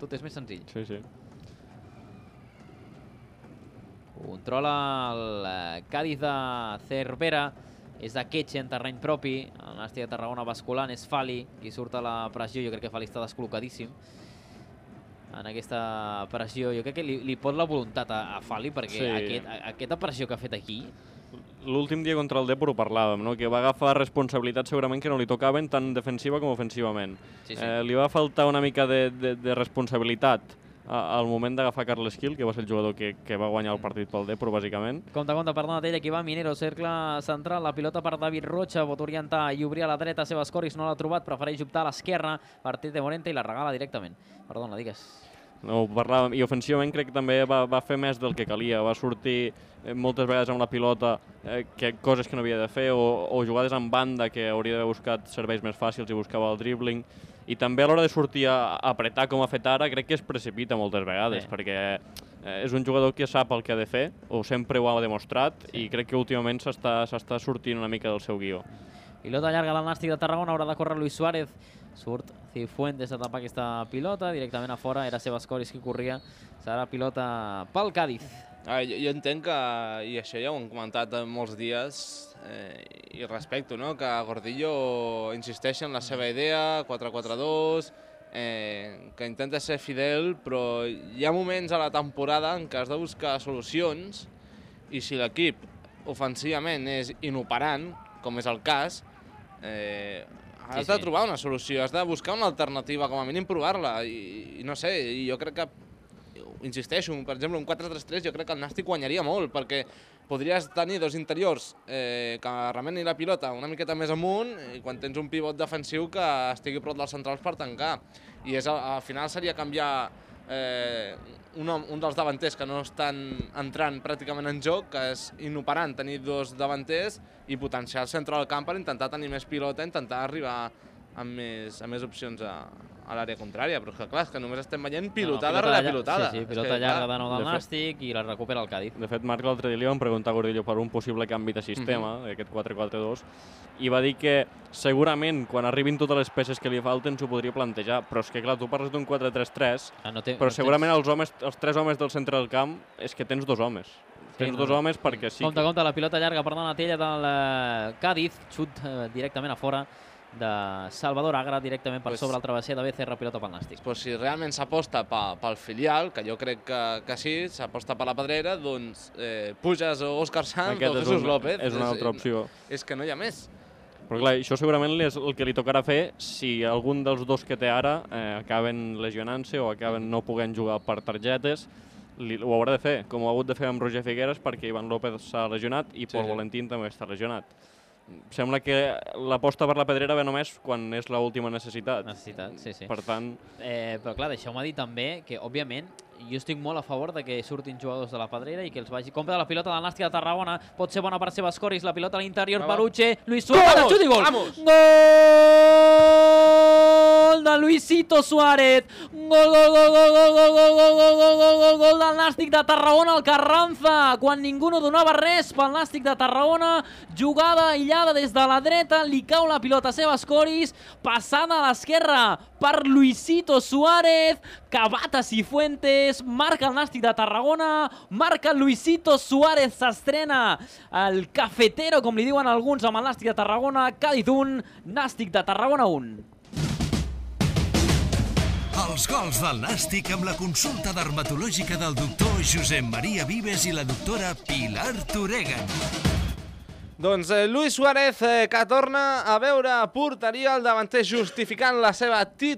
Tot és més senzill. Sí, sí. Controla el Cádiz de Cervera. És de Ketxe en terreny propi. El Nàstic de Tarragona basculant. És Fali qui surt a la pressió. Jo crec que Fali està descol·locadíssim en aquesta pressió. Jo crec que li pot la voluntat a Fali, perquè aquesta pressió que ha fet aquí... L'últim dia contra el Depor ho parlàvem, no? Que va agafar responsabilitats segurament que no li tocaven tant defensiva com ofensivament. Li va faltar una mica de responsabilitat al moment d'agafar Carles Gil, que va ser el jugador que va guanyar el partit pel Depor, bàsicament. Compte, per Donatella, aquí va Minero, cercle central, la pilota per David Rocha, pot orientar i obrir a la dreta, Sebas Coris no l'ha trobat, prefereix optar a l'esquerra, partit de Morente i la regala directament. Perdona, digues. No, parlàvem, i ofensivament crec que també va fer més del que calia, va sortir moltes vegades amb la pilota coses que no havia de fer, o jugades en banda que hauria d'haver buscat serveis més fàcils i buscava el dribbling, i també a l'hora de sortir a apretar com ha fet ara crec que es precipita moltes vegades, perquè és un jugador que sap el que ha de fer, o sempre ho ha demostrat, i crec que últimament s'està sortint una mica del seu guió. Pilota llarga del Nàstic de Tarragona, haurà de córrer Luis Suárez. Surt Cifuentes a tapar aquesta pilota, directament a fora, era Sebas Coris qui corria. Serà pilota pel Cádiz. Jo entenc que, i això ja ho hem comentat molts dies, i respecto, que Gordillo insisteix en la seva idea, 4-4-2, que intenta ser fidel, però hi ha moments a la temporada en què has de buscar solucions, i si l'equip ofensivament és inoperant, com és el cas, has de trobar una solució, has de buscar una alternativa, com a mínim provar-la, i no sé, jo crec que, insisteixo, per exemple, un 4-3-3 jo crec que el Nàstic guanyaria molt, perquè podries tenir dos interiors que remenin la pilota una miqueta més amunt, i quan tens un pivot defensiu que estigui prop dels centrals per tancar, i al final seria canviar un dels davanters que no estan entrant pràcticament en joc, que és inoperant tenir dos davanters, i potenciar el centre del camp per intentar tenir més pilota, intentar arribar amb més opcions a l'àrea contrària, però és que clar, és que només estem veient pilotada rere pilotada. Sí, pilota llarga de nou del Nàstic i la recupera el Cádiz. De fet, Marc l'altre dia li van preguntar a Gordillo per un possible canvi de sistema, aquest 4-4-2, i va dir que segurament quan arribin totes les peces que li falten s'ho podria plantejar, però és que clar, tu parles d'un 4-3-3, però segurament els tres homes del centre del camp és que tens dos homes. Tens dos homes perquè sí. Compte, la pilota llarga per Donatella del Cádiz, xut directament a fora de Salvador Agra, directament per sobre el travesser de Becerra, pilota pel Nàstic. Doncs si realment s'aposta pel filial, que jo crec que sí, s'aposta per la Pedrera, doncs Pujas o Òscar Sanz o Jesús López. És una altra opció. És que no hi ha més. Però clar, això segurament és el que li tocarà fer si algun dels dos que té ara acaben lesionant-se o acaben no podent jugar per targetes. Ho haurà de fer, com ho ha hagut de fer amb Roger Figueres, perquè Ivan López s'ha lesionat i Pol Valentín també està lesionat. Sembla que l'aposta per la Pedrera ve només quan és l'última necessitat. Sí. Per tant... Però clar, deixeu-me dir també que, òbviament, jo estic molt a favor de que surtin jugadors de la Pedrera i que els vagi... Compte de la pilota del Nàstic de Tarragona, pot ser bona per Sebas Coris, la pilota a l'interior, Baruche, Luis Suárez, xut i gol! Gol de Luisito Suárez! Gol del Nàstic de Tarragona al Carranza, quan ningú no donava res pel Nàstic de Tarragona, jugada aïllada des de la dreta, li cau la pilota a Sebas Coris, passada a l'esquerra per Luisito Suárez, que bata Cifuentes, marca el Nàstic de Tarragona, marca Luisito Suárez, s'estrena el cafetero, com li diuen alguns, amb el Nàstic de Tarragona, Cádiz 1, Nàstic de Tarragona 1. Els gols del Nàstic amb la consulta dermatològica del doctor Josep Maria Vives i la doctora Pilar Toregan. Doncs Luis Suárez, que torna a veure porteria, el davanter justificant la seva titularitat.